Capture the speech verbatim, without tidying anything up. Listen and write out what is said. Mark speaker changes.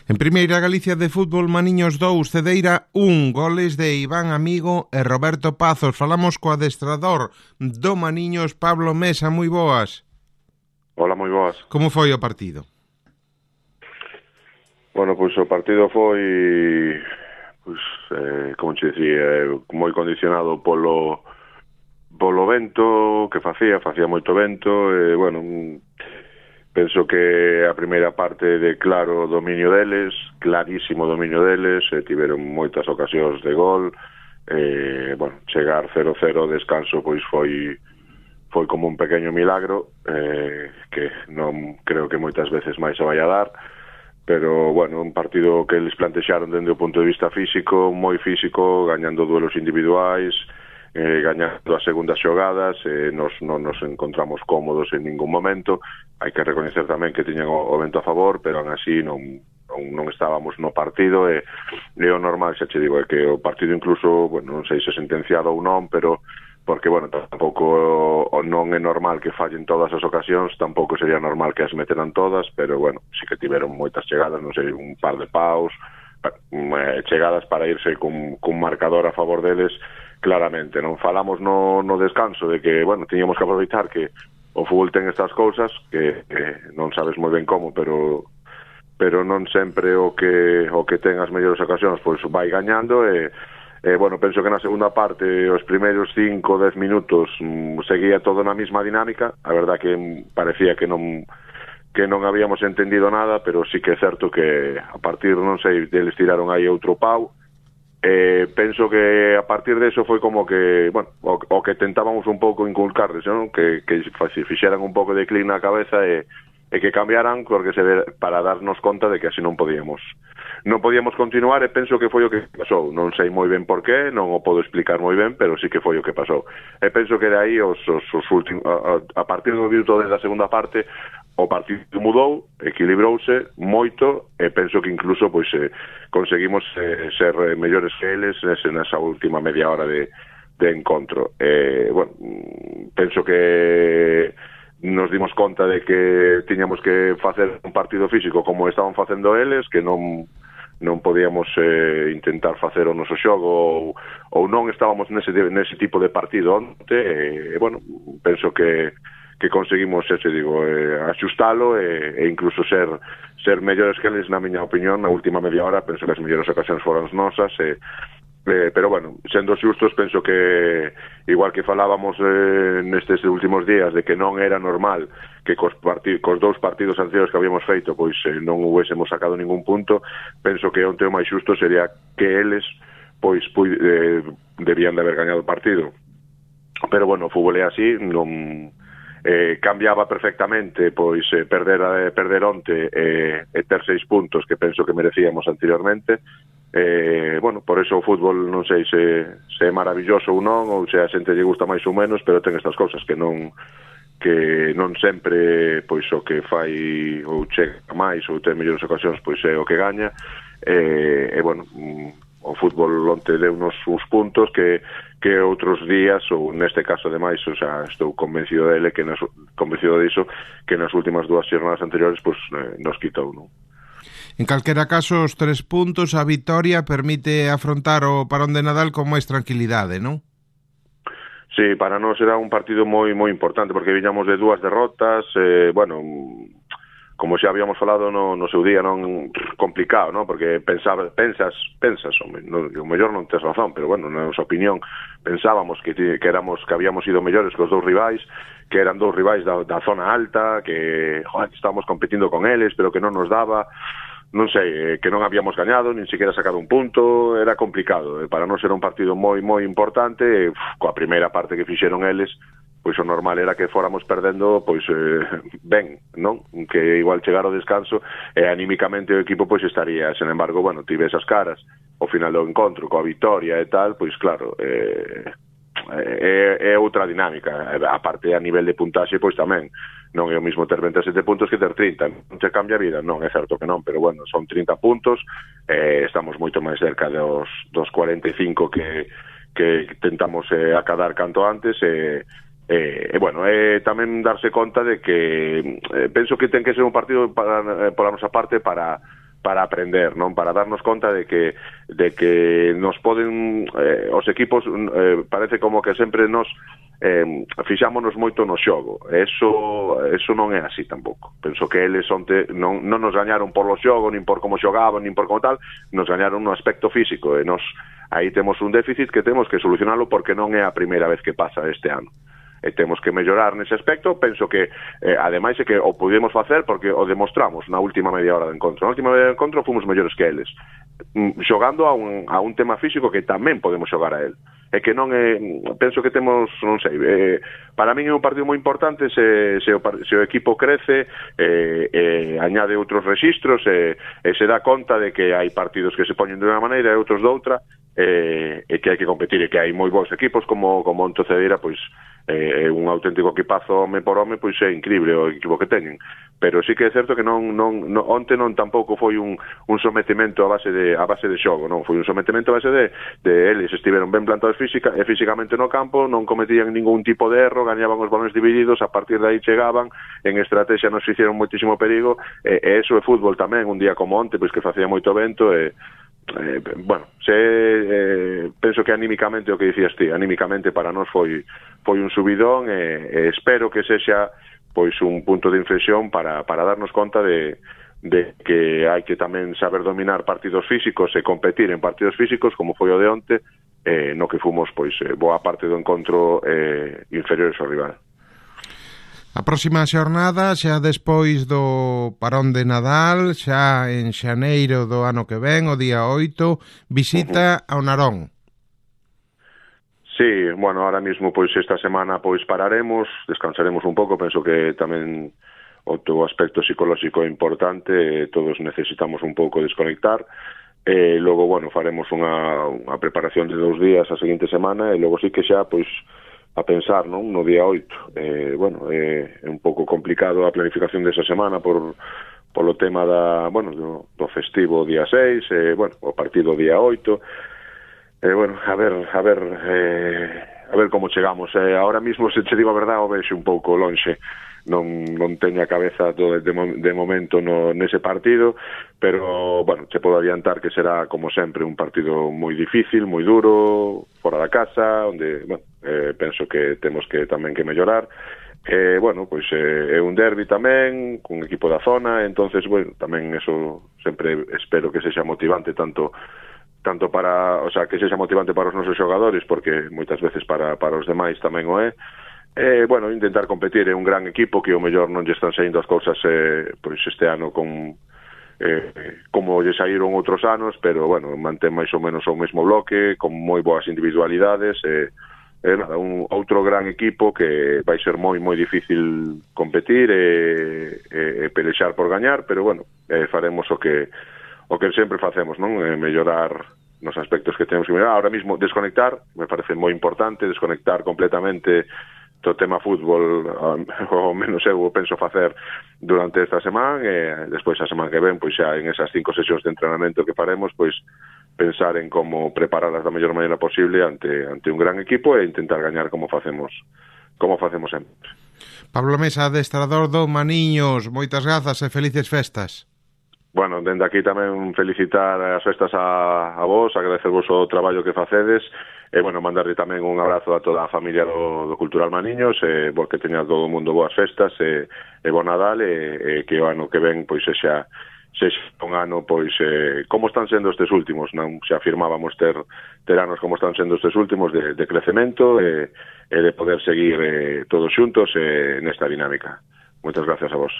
Speaker 1: En Primeira Galicia de fútbol, Maniños dous, Cedeira un, goles de Iván Amigo e Roberto Pazos. Falamos co adestrador do Maniños, Pablo Mesa. Moi boas.
Speaker 2: Hola, moi boas.
Speaker 1: Como foi o partido?
Speaker 2: Bueno, pois o partido foi, pois, eh, como te dicía, moi condicionado polo polo vento que facía, facía moito vento, e, bueno, penso que a primeira parte de claro dominio deles, clarísimo dominio deles, e tiveron moitas ocasións de gol, e, bueno, chegar cero cero descanso pois foi foi como un pequeno milagro, eh, que non creo que moitas veces máis se vai a dar, pero, bueno, un partido que eles plantexaron dende o punto de vista físico, moi físico, gañando duelos individuais, Eh, gañando as segundas xogadas, eh, nos, non nos encontramos cómodos en ningún momento. Hai que recoñecer tamén que tiñan o, o vento a favor, pero aún así non, non, non estábamos no partido, e, e o normal, xa che digo, é que o partido incluso, bueno, non sei se sentenciado ou non, pero porque, bueno, tampouco non é normal que fallen todas as ocasións, tampouco sería normal que as meteran todas, pero, bueno, sí que tiveron moitas chegadas, non sei, un par de paus, chegadas para irse cun, cun marcador a favor deles. Claramente, non falamos no, no descanso de que, bueno, tiñamos que aproveitar que o fútbol ten estas cousas que, que non sabes moi ben como, pero pero non sempre o que o que ten as mellores ocasións pois vai gañando, e, e bueno, penso que na segunda parte os primeiros cinco, dez minutos mm, seguía todo na mesma dinámica. A verdad que parecía que non que non habíamos entendido nada, pero sí que é certo que a partir, non sei, deles tiraron aí outro pau. Eh, penso que a partir de eso foi como que, bueno, o, o que tentábamos un pouco inculcarles, non? Que, que fixeran un pouco de clic na cabeza e, e que cambiaran, porque se ve, para darnos conta de que así non podíamos non podíamos continuar, e penso que foi o que pasou. Non sei moi ben por qué, non o podo explicar moi ben, pero sí que foi o que pasou. E penso que de aí os, os, os últimos, a, a partir do minuto da segunda parte o partido mudou, equilibrouse moito, e penso que incluso pois eh, conseguimos eh, ser mellores que eles nesa última media hora de, de encontro. Eh, bueno, penso que nos dimos conta de que tiñamos que facer un partido físico como estaban facendo eles, que non non podíamos eh, intentar facer o noso xogo, ou, ou non estábamos nese, nese tipo de partido onte, e, bueno, penso que que conseguimos, xa te digo, eh, axustalo e, e incluso ser ser mellores que eles, na miña opinión, na última media hora. Penso que as mellores ocasións foron nosas, e, eh, pero, bueno, sendo xustos, penso que, igual que falábamos eh, nestes últimos días de que non era normal que cos, partid, cos dous partidos anteriores que habíamos feito pois eh, non huésemos sacado ningún punto, penso que onte o máis xusto sería que eles pois pu, eh, debían de haber gañado o partido. Pero, bueno, o fútbol é así, non... Eh, cambiaba perfectamente pois eh, perder, eh, perder onte eh, e ter seis puntos que penso que merecíamos anteriormente. Eh, bueno, por eso o fútbol non sei se, se é maravilloso ou non, ou se a xente lle gusta máis ou menos, pero ten estas cousas que non que non sempre pois o que fai ou chega máis ou ten mellores ocasións pois é o que gaña. E, e bueno, o fútbol onte deu uns, uns puntos que que outros días, ou neste caso ademais, o sea, estou convencido dele, que nas, convencido diso, que nas últimas dúas xornadas anteriores pues, eh, nos quitou, non?
Speaker 1: En calquera caso, os tres puntos, a vitoria permite afrontar o parón de Nadal con máis tranquilidade, non?
Speaker 2: Sí, para nós era un partido moi moi importante, porque viñamos de dúas derrotas, eh, bueno, como xa habíamos falado no, no seu día, non complicado, non? Porque pensaba, pensas, pensas, no, o mellor non tes razón, pero bueno, na nosa opinión, pensábamos que, que éramos que habíamos ido mellores que os dous rivais, que eran dous rivais da, da zona alta, que, joder, que estábamos competindo con eles, pero que non nos daba, non sei, que non habíamos gañado, nin siquiera sacado un punto, era complicado. Para nós era un partido moi, moi importante, e, uf, coa primeira parte que fixeron eles, pois o normal era que fóramos perdendo pois eh, ben, non? Que igual chegar ao descanso e anímicamente o equipo pois estaría, sen embargo, bueno, tive esas caras ao final do encontro coa vitoria e tal, pois claro, eh, é, é outra dinámica. A parte a nivel de puntaxe pois tamén non é o mismo ter vinte e sete puntos que ter trinta, non te cambia a vida, non, é certo que non, pero bueno, son trinta puntos, eh, estamos moito máis cerca dos, dos cuarenta e cinco que, que tentamos eh, acadar canto antes, e eh, E, e bueno, é tamén darse conta de que eh, penso que ten que ser un partido para, eh, pola nosa parte para para aprender, non, para darnos conta de que de que nos poden eh, os equipos eh, parece como que sempre nos eh, fixámonos moito no xogo. Eso eso non é así tampouco. Penso que eles onte non, non nos gañaron por lo xogo, nin por como xogaban, nin por como tal, nos gañaron no aspecto físico, e nos aí temos un déficit que temos que solucionalo porque non é a primeira vez que pasa este ano. E temos que mellorar nese aspecto. Penso que, eh, ademais, é que o pudemos facer porque o demostramos na última media hora de encontro. Na última media hora de encontro fomos mellores que eles, mm, xogando a un, a un tema físico que tamén podemos xogar a él. É que non é, penso que temos, non sei, eh, para min é un partido moi importante se, se, o, se o equipo crece, eh, eh, añade outros rexistros, e eh, eh, se dá conta de que hai partidos que se poñen de unha maneira e outros de outra, eh, e que hai que competir, e que hai moi bons equipos como, como Onto Cedeira, pois é eh, un auténtico equipazo home por home, pois é increíble o equipo que teñen, pero sí que é certo que non, non, non onte non tampouco foi un, un sometimento a base de a base de xogo, non, foi un sometimento a base de, de eles estiveron ben plantados física e físicamente no campo, non cometían ningún tipo de erro, gañaban os balones divididos, a partir de aí chegaban, en estrategia nos hicieron moitísimo perigo, e, e eso é fútbol tamén, un día como onte, pois que facía moito vento, e Eh, bueno, se, eh, penso que anímicamente o que dicías ti, anímicamente para nós foi foi un subidón, e, e espero que sexa pois un punto de inflexión para, para darnos conta de, de que hai que tamén saber dominar partidos físicos e competir en partidos físicos como foi o de onte, eh, no que fomos pois eh, boa parte do encontro eh, inferiores ao rival.
Speaker 1: A próxima xornada, xa despois do parón de Nadal, xa en xaneiro do ano que ven, o día oito, visita ao Narón.
Speaker 2: Sí, bueno, ahora mismo pois esta semana pois pararemos, descansaremos un pouco, penso que tamén o teu aspecto psicolóxico é importante, todos necesitamos un pouco desconectar, e logo, bueno, faremos unha, unha preparación de dous días a seguinte semana, e logo sí que xa, pois, a pensar, non, no día oito. Eh, bueno, é eh, un pouco complicado a planificación desa semana por polo tema da, bueno, do, do festivo día seis, eh, bueno, o partido día oito. Eh, bueno, a ver, a ver, eh, a ver como chegamos. Eh, ahora mismo, se che digo a verdade, o vexo un pouco lonxe. Non, non teño a cabeza do, de, de momento no, nese partido, pero, bueno, che podo adiantar que será, como sempre, un partido moi difícil, moi duro, fora da casa, onde, bueno, eh, penso que temos que tamén que mellorar. Eh, bueno, pois eh, é un derbi tamén, cun equipo da zona, entonces, bueno, tamén eso sempre espero que sexa motivante, tanto tanto para, o sea, que sexa motivante para os nosos xogadores, porque moitas veces para, para os demais tamén o é. Eh, bueno, intentar competir é un gran equipo que o mellor non lle están saindo as cousas eh, pois este ano con eh, como lle saíron outros anos, pero bueno, mantén máis ou menos o mesmo bloque, con moi boas individualidades, eh, eh, nada, un outro gran equipo que vai ser moi moi difícil competir e, e, e pelexar por gañar, pero bueno, eh, faremos o que o que sempre facemos, non? Eh, mellorar nos aspectos que temos que mellorar. Ahora mismo desconectar, me parece moi importante, desconectar completamente do tema fútbol, ao menos eu penso facer durante esta semana, e despois a semana que ven, pois xa en esas cinco sesións de entrenamento que faremos, pois pensar en como prepararlas da mellor maneira posible ante ante un gran equipo e intentar gañar como facemos como facemos sempre.
Speaker 1: Pablo Mesa, adestrador do Maniños, moitas grazas e felices festas.
Speaker 2: Bueno, dende aquí tamén felicitar as festas a, a vos, agradecervos o traballo que facedes, e, bueno, mandarle tamén un abrazo a toda a familia do, do Cultural Maniños, e, bo, que teña todo o mundo boas festas, e, e bon Nadal, e, e que o ano que ven, pois, sexa, sexa un ano, pois, eh, como están sendo estes últimos, non? Xa afirmábamos ter, ter anos como están sendo estes últimos de, de crecemento, e, e de poder seguir eh, todos xuntos eh, nesta dinámica. Moitas gracias a vos.